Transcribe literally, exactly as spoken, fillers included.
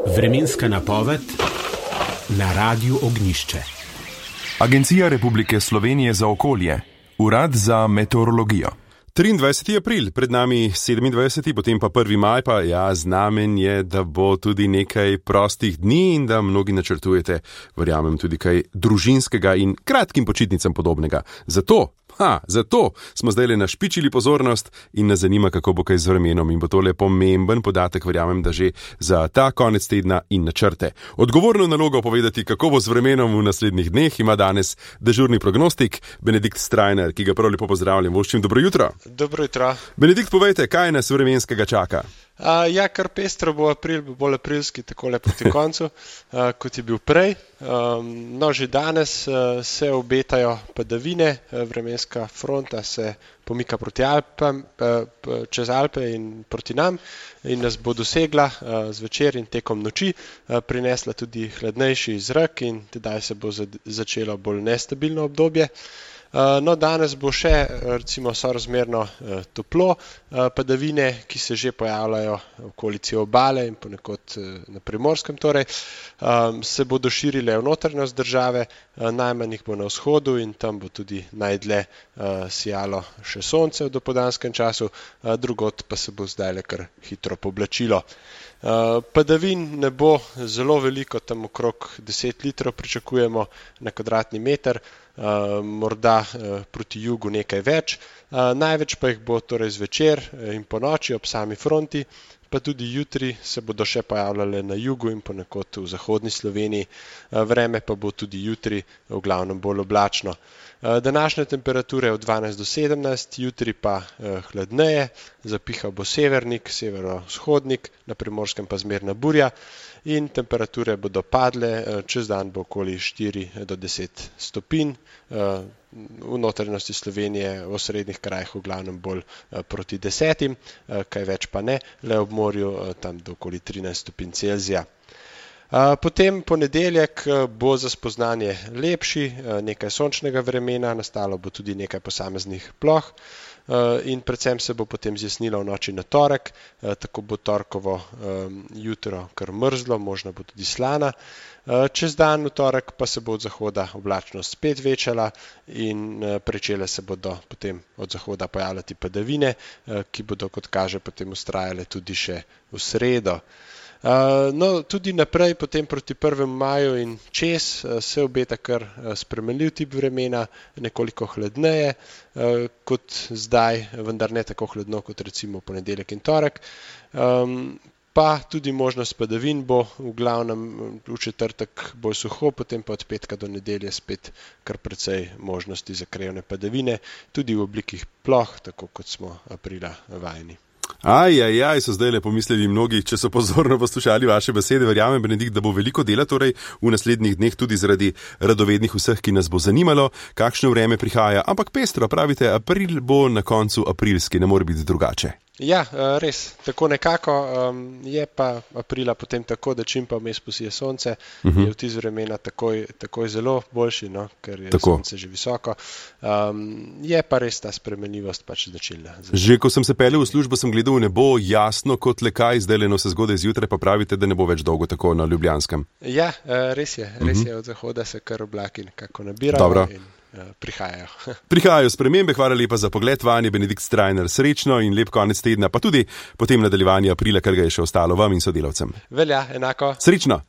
Vremenska napoved na Radiu Ognjišče. Agencija Republike Slovenije za okolje, Urad za meteorologijo. triindvajseti april, pred nami sedemindvajseti, potem pa prvi maj, pa ja, znamen je, da bo tudi nekaj prostih dni in da mnogi načrtujete, verjamem, tudi kaj družinskega in kratkim počitnicam podobnega. Zato, ha, zato smo zdaj našpičili pozornost in nas zanima, kako bo kaj z vremenom in bo tole pomemben podatek, verjamem, da že za ta konec tedna in načrte. Odgovorno nalogo povedati, kako bo z vremenom v naslednjih dneh, ima danes dežurni prognostik Benedikt Strajnar, ki ga prav lepo pozdravljam. Voščim, dobro jutro. Dobro jutro. Benedikt, povejte, kaj nas vremenskega čaka? Uh, ja, kar pestro bo april, bo bolj aprilski, takole proti koncu, uh, kot je bil prej. Um, no, že danes uh, se obetajo padavine, uh, vremenska fronta se pomika proti Alpam, uh, čez Alpe in proti nam in nas bo dosegla uh, zvečer in tekom noči, uh, prinesla tudi hladnejši zrak in tedaj se bo začelo bolj nestabilno obdobje. No, danes bo še recimo sorazmerno toplo, padavine, ki se že pojavljajo v okolici obale in ponekod na Primorskem, torej, se bodo širile v notranjost države, najmanj jih bo na vzhodu in tam bo tudi najdlje sijalo še sonce v dopoldanskem času, drugod pa se bo zdajle kar hitro poblačilo. Padavin ne bo zelo veliko, tam okrog deset litrov pričakujemo na kvadratni meter, morda proti jugu nekaj več, največ pa jih bo torej zvečer in po noči ob sami fronti, pa tudi jutri se bodo še pojavljale na jugu in ponekod v zahodni Sloveniji, vreme pa bo tudi jutri v glavnem bolj oblačno. Današnje temperature od dvanajst do sedemnajst, jutri pa hladneje, zapihal bo severnik, severovzhodnik, na Primorskem pa zmerna burja in temperature bodo padle, čez dan bo okoli štiri do deset stopinj, v notranjosti Slovenije, v osrednjih krajih v glavnem bolj proti desetim, kaj več pa ne, le ob morju tam do okoli trinajst stopinj Celzija. Potem ponedeljek bo za spoznanje lepši, nekaj sončnega vremena, nastalo bo tudi nekaj posameznih ploh in predvsem se bo potem zjasnilo v noči na torek, tako bo torkovo jutro kar mrzlo, možno bo tudi slana. Čez dan v torek pa se bo od zahoda oblačnost spet večala in pričele se bodo potem od zahoda pojavljati padavine, ki bodo, kot kaže, potem vztrajale tudi še v sredo. No, tudi naprej, potem proti prvemu maju in čez se obeta kar spremenljiv tip vremena, nekoliko hladneje kot zdaj, vendar ne tako hladno kot recimo ponedeljek in torek. Pa tudi možnost padavin bo v glavnem v četrtek bolj suho, potem pa od petka do nedelje spet kar precej možnosti za krajevne padavine, tudi v oblikih ploh, tako kot smo aprila vajeni. Aj, aj, aj, so zdaj le pomislili mnogi, če so pozorno poslušali vaše besede. Verjamem, Benedikt, da bo veliko dela torej v naslednjih dneh tudi zaradi radovednih vseh, ki nas bo zanimalo, kakšno vreme prihaja. Ampak pestro, pravite, april bo na koncu aprilski, ne more biti drugače. Ja, res, tako nekako je pa aprila potem tako, da čim pa vmes posije sonce, uh-huh. je vtis vremena takoj, takoj zelo boljši, no, ker je tako. Sonce že visoko. Um, je pa res ta spremenljivost pač značilna. Že ko sem se peljal v službo, sem gledal v nebo jasno kot le kaj, zdaj leno se zgodaj zjutraj, pa pravite, da ne bo več dolgo tako na Ljubljanskem. Ja, res je, res uh-huh. je, od zahoda se kar oblaki nekako nabirajo. Dobro. In prihajajo. Prihajajo spremembe, hvala lepa za pogled vanje, Benedikt Strajnar, srečno in lep konec tedna, pa tudi potem nadaljevanje aprila, kar ga je še ostalo vam in sodelavcem. Velja, enako. Srečno.